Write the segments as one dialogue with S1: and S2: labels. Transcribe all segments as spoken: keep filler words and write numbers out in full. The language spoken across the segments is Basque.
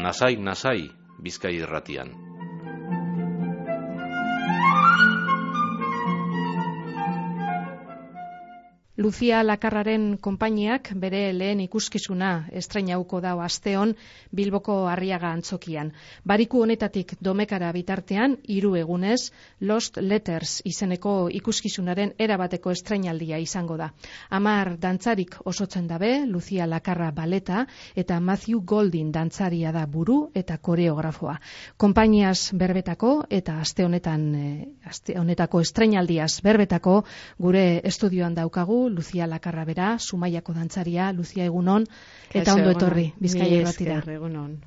S1: nasai, nasai, Bizkai Irratian.
S2: Lucia Lakarraren konpainiak bere lehen ikuskizuna estrainauko dau asteon Bilboko Arriaga antzokian. Bariku honetatik Domekara bitartean, hiru egunez, Lost Letters izeneko ikuskizunaren erabateko estrainaldia izango da. Hamar dantzarik osotzen dabe, Lucia Lakarra baleta eta Matthew Goldin dantzaria da buru eta koreografoa. Konpainiaz berbetako eta aste honetan e, aste honetako estrainaldiaz berbetako gure estudioan daukagu Lucia Lakarra bera, Zumaiako dantzaria. Lucia, egunon, eta ondo etorri Bizkai Irratira.
S3: Egunon.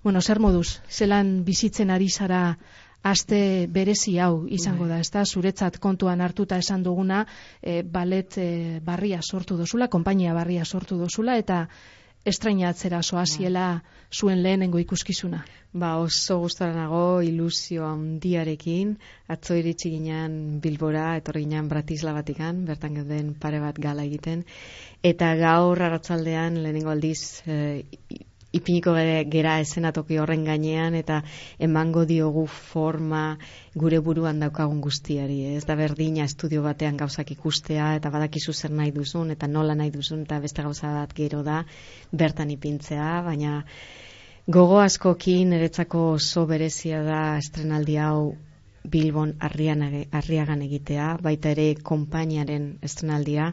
S2: Bueno, zer moduz, zelan bizitzen ari zara aste berezi hau izango da, ezta? Zuretzat kontuan hartuta esan duguna, e, balet e, barria sortu dozula, konpainia barria sortu dozula, eta estrainatzera soaziela zuen lehenengo ikuskizuna.
S3: Ba, oso gustora nago, ilusio handiarekin, atzo iritsi ginen Bilbora, etorri ginen Bratislavatik,an, bertan gauden pare bat gala egiten, eta gaur arratsaldean lehenengo aldiz e, ipiniko gera eszenatoki horren gainean, eta emango diogu forma gure buruan daukagun guztiari. Ez da berdina estudio batean gauzak ikustea, eta badakizu zer nahi duzun, eta nola nahi duzun, eta beste gauza bat gero da bertan ipintzea, baina gogo askokin niretzako oso berezia da estrenaldi hau Bilbon Arriagan egitea, baita ere konpainiaren estrenaldia.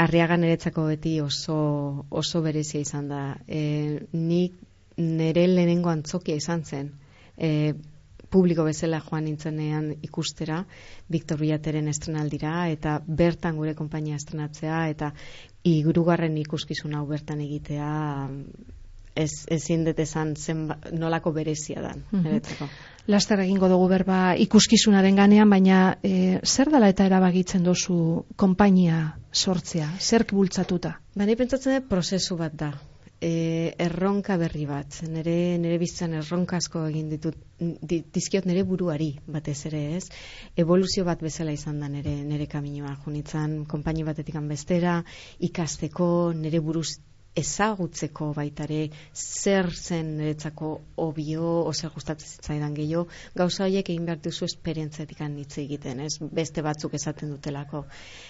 S3: Arriagan niretzako beti oso, oso berezia izan da. E, nik nire lehenengo antzokia izan zen. E, publiko bezala joan nintzenean ikustera, Victor Villateren estrenaldira, eta bertan gure konpainia estrenatzea, eta hirugarren ikuskizun hau bertan egitea, ez ezin dut esan zen nolako berezia dan, niretzako.
S2: Laster egingo dugu berba ikuskizunaren ganean, baina e, zer dela eta erabakitzen dozu konpainia sortzea? Zerk bultzatuta?
S3: Ba, ni pentsatzen dut prozesu bat da. E, erronka berri bat. Nere, nere bizitzan erronka asko egin ditut, dizkiot nere buruari batez ere, ez? Evoluzio bat bezala izan da nere, nere kaminoa. Junitzan, konpaini batetik bestera, ikasteko, nere buruz ezagutzeko baitare, zer zen niretzako obio, o zer gustatzen zitzaidan gehiago, gauza horiek egin behar duzu esperientziatik hitz egiten, ez? Beste batzuk esaten dutelako.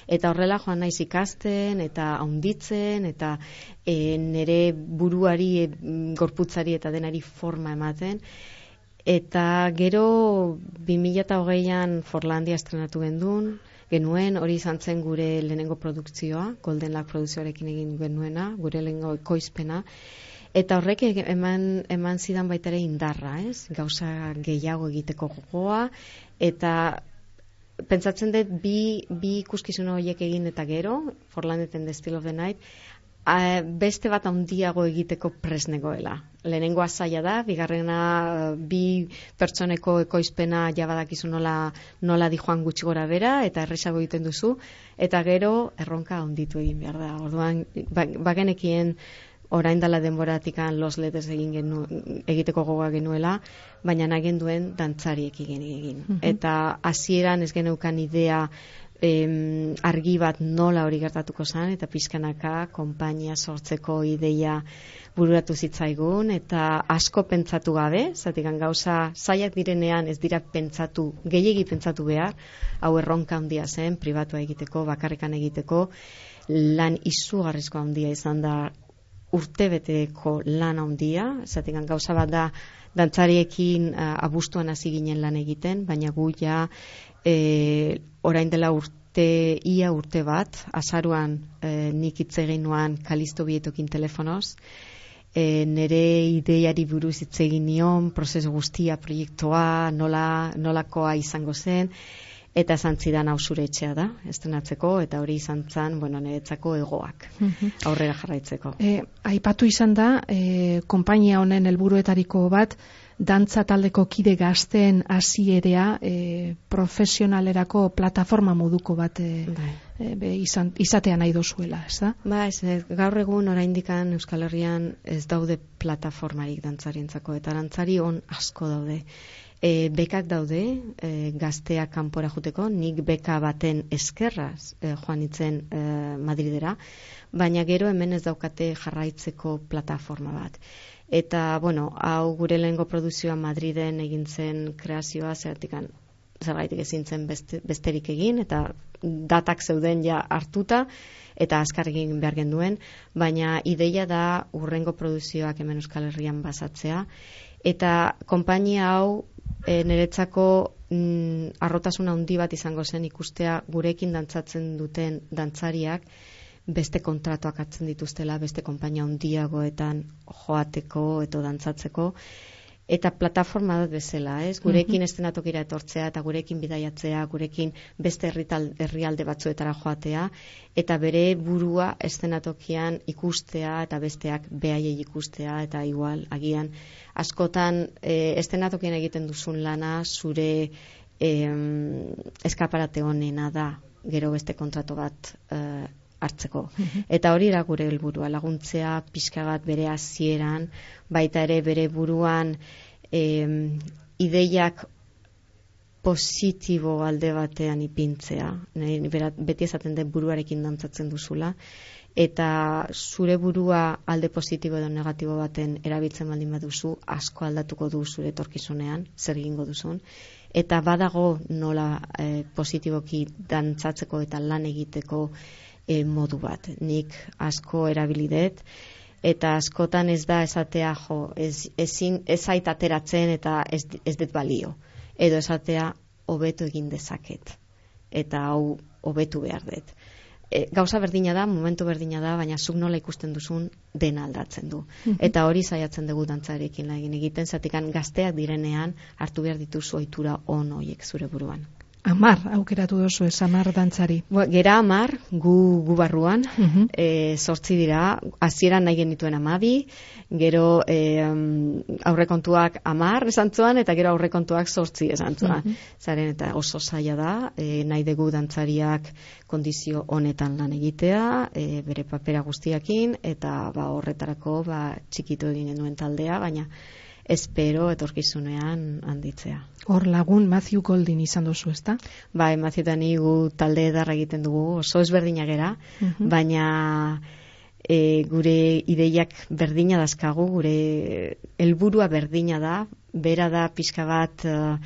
S3: Eta horrela joan naiz ikasten, eta haunditzen, eta e, nire buruari, e, gorputzari eta denari forma ematen. Eta gero bi mila hogeian Forlandia estrenatu gendun, genuen, hori izan zen gure lehenengo produkzioa, Golden Lake produkzioarekin egin genuena, gure lehenengo ekoizpena, eta horrek eman, eman zidan baita ere indarra, ez? Gauza gehiago egiteko gogoa, eta pentsatzen dut bi, bi ikuskizun horiek egin eta gero, Forlandeten The Still of the Night, a, beste bat handiago egiteko presnegoela. Lehenengoa zaila da, bigarrena bi pertsoneko ekoizpena jabadakizu nola, nola di joan gutxi gora bera, eta erresago egiten duzu, eta gero erronka handitu egin behar da. Orduan, bagenekien orain dela denboratikan Lost Letters egin genu, egiteko gogoa genuela, baina nagen duen dantzariek egin egin. Mm-hmm. Eta hasieran ez geneukan idea Em, argi bat nola hori gertatuko zen, eta pizkanaka konpainia sortzeko ideia bururatu zitzaigun, eta asko pentsatu gabe, zatikan gauza zailak direnean ez dira pentsatu, gehiegi pentsatu behar, hau erronka handia zen, pribatua egiteko, bakarrekan egiteko, lan izugarrizko handia izan da, urtebeteko lan handia, zatikan gauza bat da, dantzariekin uh, abuztuan hasi ginen lan egiten, baina gu ja e, orain dela urte, ia urte bat, azaruan e, nik hitz egin nuan Kalisto Bietokin telefonoz, e, nere ideiari buruz hitz egin nion, prozesu guztia, proiektua, nola, nolakoa izango zen, eta esan zidan hau zure etxea da, estrenatzeko, eta hori izan zen, bueno, niretzako egoak, aurrera jarraitzeko.
S2: E, aipatu izan da, e, konpainia honen helburuetariko bat, dantza taldeko kide gazteen hasierea e, profesionalerako plataforma moduko bat e, e, be, izan, izatea nahi dozuela, ez da?
S3: Ba, ez, gaur egun oraindikan Euskal Herrian ez daude plataformarik dantzarientzako, eta dantzari on asko daude. E, bekak daude, e, gazteak kanpora juteko, nik beka baten eskerraz e, joan itzen e, Madridera, baina gero hemen ez daukate jarraitzeko plataforma bat. Eta, bueno, hau gure lehengo produzioa Madriden egin zen kreazioa, zeratikan zergaitik ezin zen beste, besterik egin, eta datak zeuden ja hartuta, eta azkar egin behar genduen, baina ideia da urrengo produzioak hemen Euskal Herrian basatzea, eta konpainia hau e, niretzako mm, arrotasuna handi bat izango zen ikustea gurekin dantzatzen duten dantzariak beste kontratuak hartzen dituztela, beste konpainia handiagoetan joateko edo dantzatzeko, eta plataforma bat bezala, ez? Gurekin estenatokira etortzea eta gurekin bidaiatzea, gurekin beste herrital, herrialde batzuetara joatea, eta bere burua estenatokian ikustea eta besteak behaiei ikustea, eta igual, agian, askotan e, estenatokian egiten duzun lana zure e, eskaparate honena da, gero beste kontratu bat e, hartzeko. Eta hori da gure helburua, laguntzea pixka bat bere hasieran, baita ere bere buruan eh, ideiak positibo alde batean ipintzea. Beti esaten den buruarekin dantzatzen duzula, eta zure burua alde positibo edo negatibo baten erabiltzen baldin baduzu, asko aldatuko du zure etorkizunean, zer egingo duzun. Eta badago nola eh, positiboki dantzatzeko eta lan egiteko E, modu bat. Nik asko erabilidet, eta askotan ez da esatea, jo, ez, ezin, ez zait ateratzen eta ez, ez dut balio. Edo esatea, hobetu egin dezaket. Eta hau, hobetu behar dut. E, gauza berdina da, momentu berdina da, baina zuk nola ikusten duzun dena aldatzen du. Eta hori saiatzen dugu dantzarekin egin egiten, zatikan gazteak direnean hartu behar dituzu ohitura on horiek zure buruan.
S2: Amar, aukeratu dozu ez, amar dantzari.
S3: Gera amar, gu, gu barruan,
S2: uh-huh.
S3: e, sortzi dira, hasieran nahi genituen amabi, gero e, aurrekontuak amar esan zuan, eta gero aurrekontuak sortzi esan zuan. Uh-huh. Zaren, eta oso zaila da, e, nahi dugu dantzariak kondizio honetan lan egitea, e, bere papera guztiakin, eta ba, horretarako ba, txikitu egin genuen taldea, baina espero etorkizunean handitzea.
S2: Hor lagun Matthew Goldin izan dozu, ezta?
S3: Bai, Matthew eta ni gu talde edarra egiten dugu, oso ezberdina gera, uh-huh. baina e, gure ideiak berdina dazkagu, gure helburua berdina da, bera da pixka bat uh,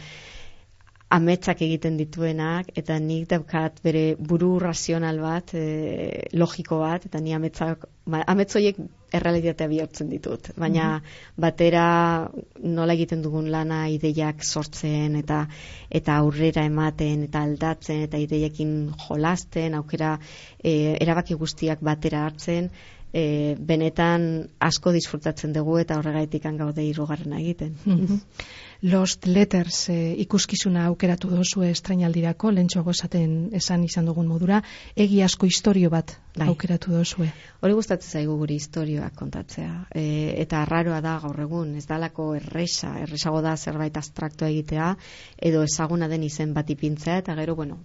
S3: ametsak egiten dituenak, eta nik daukat bere buru razional bat, e, logiko bat, eta ni ametsak, ametzoiek errealitatea bihurtzen ditut. Baina mm-hmm. batera nola egiten dugun lana ideiak sortzen, eta eta aurrera ematen, eta aldatzen, eta ideiekin jolasten, aukera e, erabaki guztiak batera hartzen, e, benetan asko disfrutatzen dugu, eta horregaitik gaude hirugarrena egiten.
S2: Mm-hmm. Lost Letters eh, ikuskizuna aukeratu dozu estrainaldirako, lentsuago esaten esan izan dugun modura, egi asko istorio bat Dai. aukeratu dozue.
S3: Hori gustatzen zaigu guri istorioak kontatzea, e, eta arraroa da gaur egun, ez dalako erresa, erresago da zerbait abstraktua egitea, edo ezaguna den izen bat ipintzea, eta gero, bueno,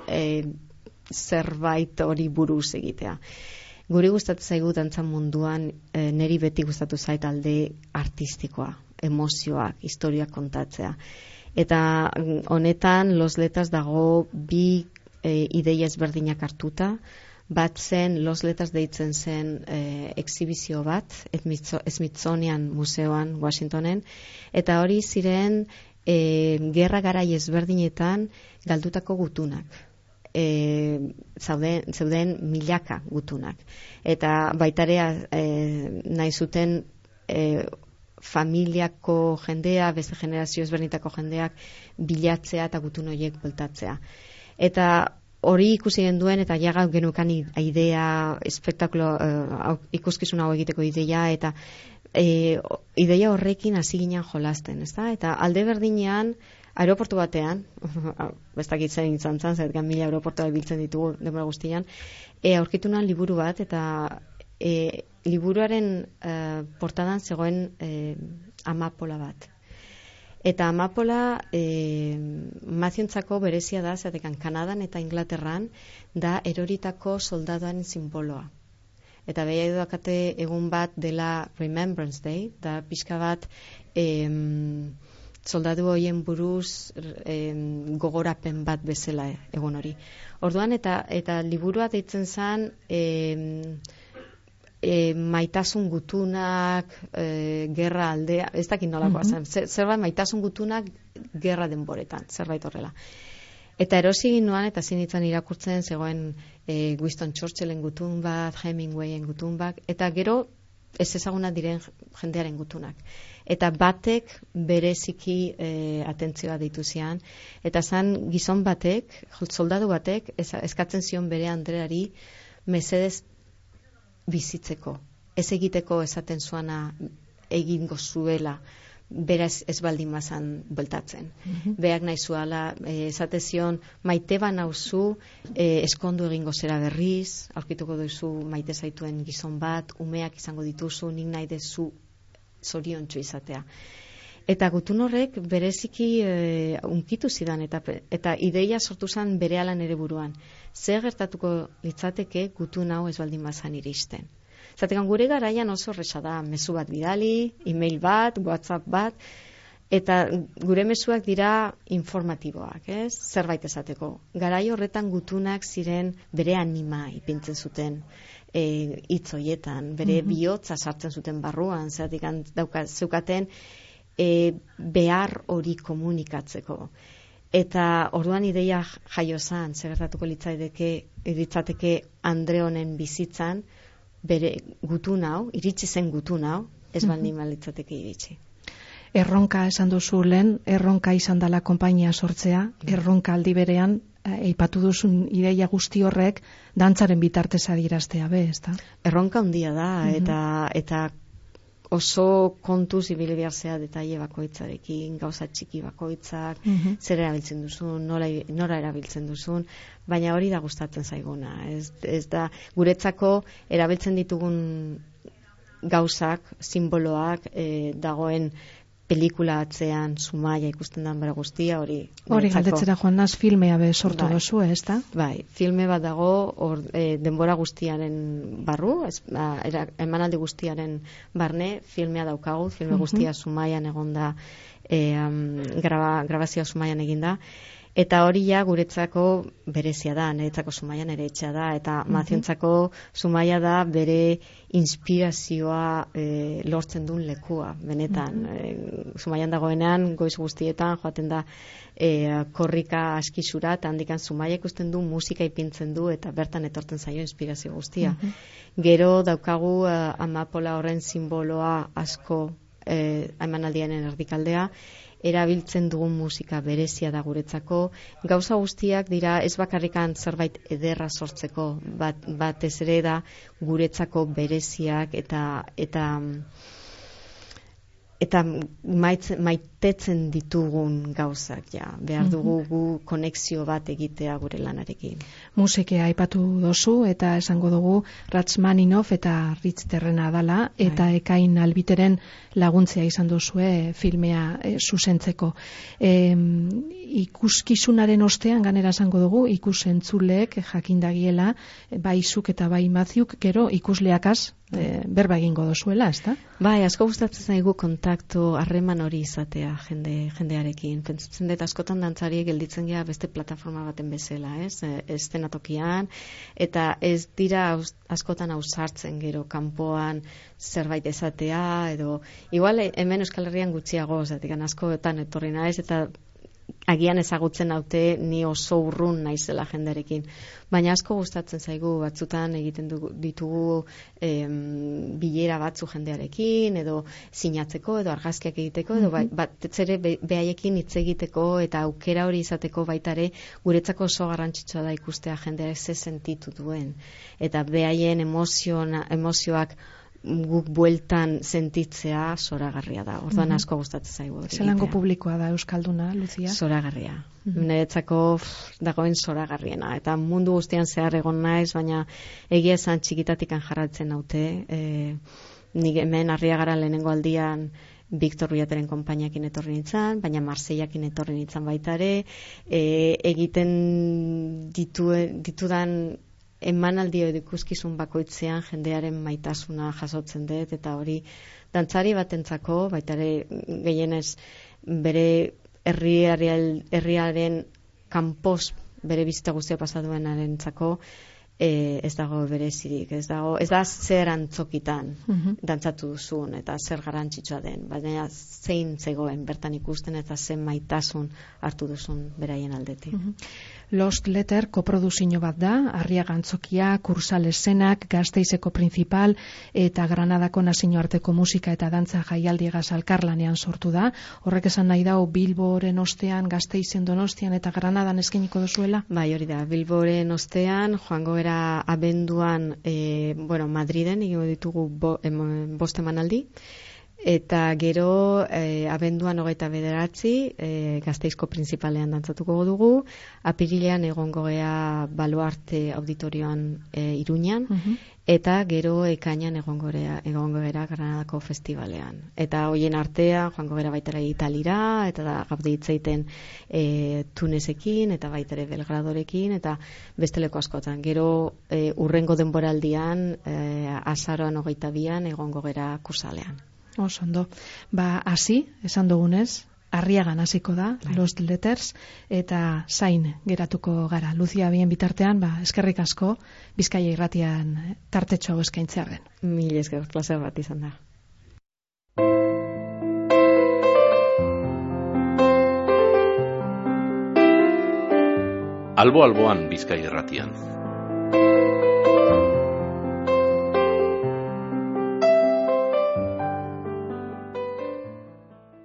S3: e, zerbait hori buruz egitea. Guri gustatzen zaigu dantzan munduan, e, neri beti gustatu zait alde artistikoa, emozioak, historiak kontatzea. Eta honetan Los Letters dago bi e, ideia ezberdinak hartuta, bat zen Los Letters deitzen zen e, exhibizio bat, Smithsonian Museoan, Washingtonen, eta hori ziren e, gerra garai ezberdinetan galdutako gutunak. E, zauden, zeuden milaka gutunak. Eta baitarea e, nahi zuten e, familiako jendea, beste generazio ezberdinetako jendeak bilatzea eta gutun horiek bueltatzea. Eta hori ikusi genduen, eta ja genukan idea, espektakulo, uh, ikuskizun hau egiteko idea, eta e, ideia horrekin hasi ginen jolasten, ezta? Eta alde berdinean, aeroportu batean, bestakitzen izan zan, zergan mila aeroportua biltzen ditugu denbora guztian, e, aurkitu nan liburu bat, eta e, liburuaren uh, portadan zegoen eh, amapola bat. Eta amapola eh, maziontzako berezia da, zatekan Kanadan eta Inglaterran da eroritako soldadoaren simboloa. Eta beha edukate egun bat dela Remembrance Day, da pixka bat eh, soldadu horien buruz eh, gogorapen bat bezala egun hori. Orduan eta eta liburua deitzen zen eh, e, maitasun gutunak, e, gerra aldea, ez dakit nolakoa zen, zer, zerbait maitasun gutunak gerra denboretan, zerbait horrela. Eta erosi ginoan eta zinitzen irakurtzen zegoen e, Winston Churchillen gutun bat, Hemingwayen gutun bat, eta gero ez ezaguna diren jendearen gutunak. Eta batek bereziki e, atentzioa ditu zian, eta zan gizon batek, soldadu batek, ez, eskatzen zion bere Andreari mesedez bizitzeko. Ez egiteko esaten zuana egingo zuela, beraz ez baldin mazan bueltatzen. Mm-hmm. Beak nahi zuala, e, esate zion, maite ba nauzu, e, eskondu egingo zera berriz, aurkituko duzu maite zaituen gizon bat, umeak izango dituzu, nik nahi dezu zoriontsu izatea. Eta gutun horrek bereziki e, unkitu zidan, eta, eta ideia sortu zen bere alan ere buruan. Zer gertatuko litzateke gutun hau ez baldin mazan iristen. Zatekan gure garaian oso erresa da, mezu bat bidali, e-mail bat, WhatsApp bat, eta gure mezuak dira informatiboak, ez? Zerbait esateko. Garai horretan gutunak ziren bere anima ipintzen zuten hitz e, hoietan, bere mm-hmm. bihotza sartzen zuten barruan, zatekan dauka zeukaten e, behar hori komunikatzeko. Eta orduan ideia jaio zan, zer gertatuko litzateke, litzateke Andre honen bizitzan, bere gutun hau, iritsi zen gutun hau, ez baldin litzateke iritsi.
S2: Erronka esan duzu lehen, erronka izan dela konpainia sortzea, erronka aldi berean, eipatu duzun ideia guzti horrek, dantzaren bitartez adieraztea be, ezta?
S3: Erronka handia da, uh-huh. eta, eta oso kontuz ibili behar zea detaile bakoitzarekin, gauza txiki bakoitzak, uh-huh. zer erabiltzen duzun, nola, nora erabiltzen duzun, baina hori da gustatzen zaiguna. Ez, ez da, guretzako erabiltzen ditugun gauzak, simboloak, e, dagoen pelikula atzean, Zumaia ikusten dan bara guztia, hori...
S2: Hori galdetzera joan naz, filmea be sortu
S3: bai.
S2: dozu, ez da?
S3: Bai, filme bat dago or, e, denbora guztiaren barru, ez, a, era, emanaldi guztiaren barne, filmea daukagu, filme uh-huh. guztia Zumaian egonda, e, um, graba, grabazioa Zumaian eginda, eta hori ja guretzako berezia da, niretzako Zumaian ere etxea da, eta uh-huh. Maziontzako Zumaia da bere inspirazioa e, lortzen duen lekua, benetan. Uh-huh. E, Zumaian dagoenean, goiz guztietan, joaten da e, korrika askizura, eta handikan Zumaia ikusten du, musika ipintzen du, eta bertan etortzen zaio inspirazio guztia. Uh-huh. Gero daukagu uh, amapola horren simboloa asko e, emanaldiaren erdikaldea, erabiltzen dugun musika berezia da guretzako, gauza guztiak dira ez bakarrikan zerbait ederra sortzeko, bat, batez ere da guretzako bereziak eta eta eta maitz, maitetzen ditugun gauzak, ja, behar dugu gu konexio bat egitea gure lanarekin.
S2: Musikea aipatu dozu, eta esango dugu Rachmaninov eta Ritz Terrena dala, eta Ai. Ekain Albiteren laguntzea izan duzue filmea e, zuzentzeko. E, ikuskizunaren ostean, ganera esango dugu, ikusentzuleek jakindagiela, bai zuk eta bai Mattheuk, gero ikusleakaz, E, berba egingo dozuela, ezta?
S3: Bai, asko gustatzen zaigu kontaktu, harreman hori izatea jende, jendearekin. Pentsatzen dut askotan dantzariek gelditzen gea beste plataforma baten bezala, ez? Eszenatokian, eta ez dira askotan ausartzen gero kanpoan zerbait esatea, edo igual hemen Euskal Herrian gutxiago, zatik askotan etorri naiz, eta agian ezagutzen haute ni oso urrun naizela jendearekin. Baina asko gustatzen zaigu batzutan egiten dugu, ditugu em, bilera batzu jendearekin, edo sinatzeko, edo argazkiak egiteko, edo mm-hmm. bat ere be, behaiekin hitz egiteko, eta aukera hori izateko baitare guretzako oso garrantzitsua da ikustea jendeak ze sentitu duen. Eta behaien emoziona, emozioak guk bueltan sentitzea zoragarria da. Orduan mm-hmm. asko gustatzen zaigu.
S2: Zelango publikoa da Euskalduna, Lucia?
S3: Zoragarria. Mm-hmm. Niretzako dagoen zoragarriena. Eta mundu guztian zehar egon naiz, baina egia esan txikitatikan jarratzen naute. E, nik hemen Arriagara lehenengo aldian Victor Ruiateren konpainiakin etorri nintzen, baina Marseillakin etorri nintzen baita ere. E, egiten ditu, ditudan emanaldi edo ikuskizun bakoitzean jendearen maitasuna jasotzen dut, eta hori dantzari batentzako, baita ere gehienez bere herriaren herriaren kanpoz bere bizita guztia pasaduenarentzako E, ez dago berezirik, ez dago, ez da zer antzokitan
S2: Mhm.
S3: dantzatu duzun eta zer garrantzitsua den, baina zein zegoen bertan ikusten eta zen maitasun hartu duzun beraien aldetik.
S2: Mhm. Lost Letter koproduzio bat da, Arriaga Antzokia, Kursal Esenak, Gasteizeko Principal eta Granadako nazioarteko musika eta dantza jaialdiegaz elkarlanean sortu da. Horrek esan nahi dau Bilboren ostean, Gasteizen, Donostian eta Granadan eskainiko duzuela?
S3: Bai, hori da, Bilboren ostean, joango era abenduan, e, bueno, Madriden, egingo ditugu bo, em, bost emanaldi, eta gero e, abenduan hogeita bederatzi, e, Gasteizko Printzipalean dantzatuko dugu, apirilean egongo gea Baluarte auditorioan e, Iruñan,
S2: Mhm.
S3: eta gero ekainan egongo gera, egongo gera Granadako festivalean. Eta hoien artean, joango gera baitara Italira, eta da gaude hitzeiten e, Tunesekin, eta baitere Belgradorekin, eta besteleko askotan. Gero e, urrengo denboraldian, e, azaroan hogeita bian, egongo gera Kursalean.
S2: Oso ondo. Ba, hasi, esan dugunez, Arriagan hasiko da,
S3: Bai.
S2: Lost Letters, eta zain geratuko gara. Lucia bien bitartean, ba, eskerrik asko, Bizkaia irratian tartetxo hau eskaintzearen.
S3: Mil esker, plazer bat izan da.
S1: Albo alboan Bizkaia irratian.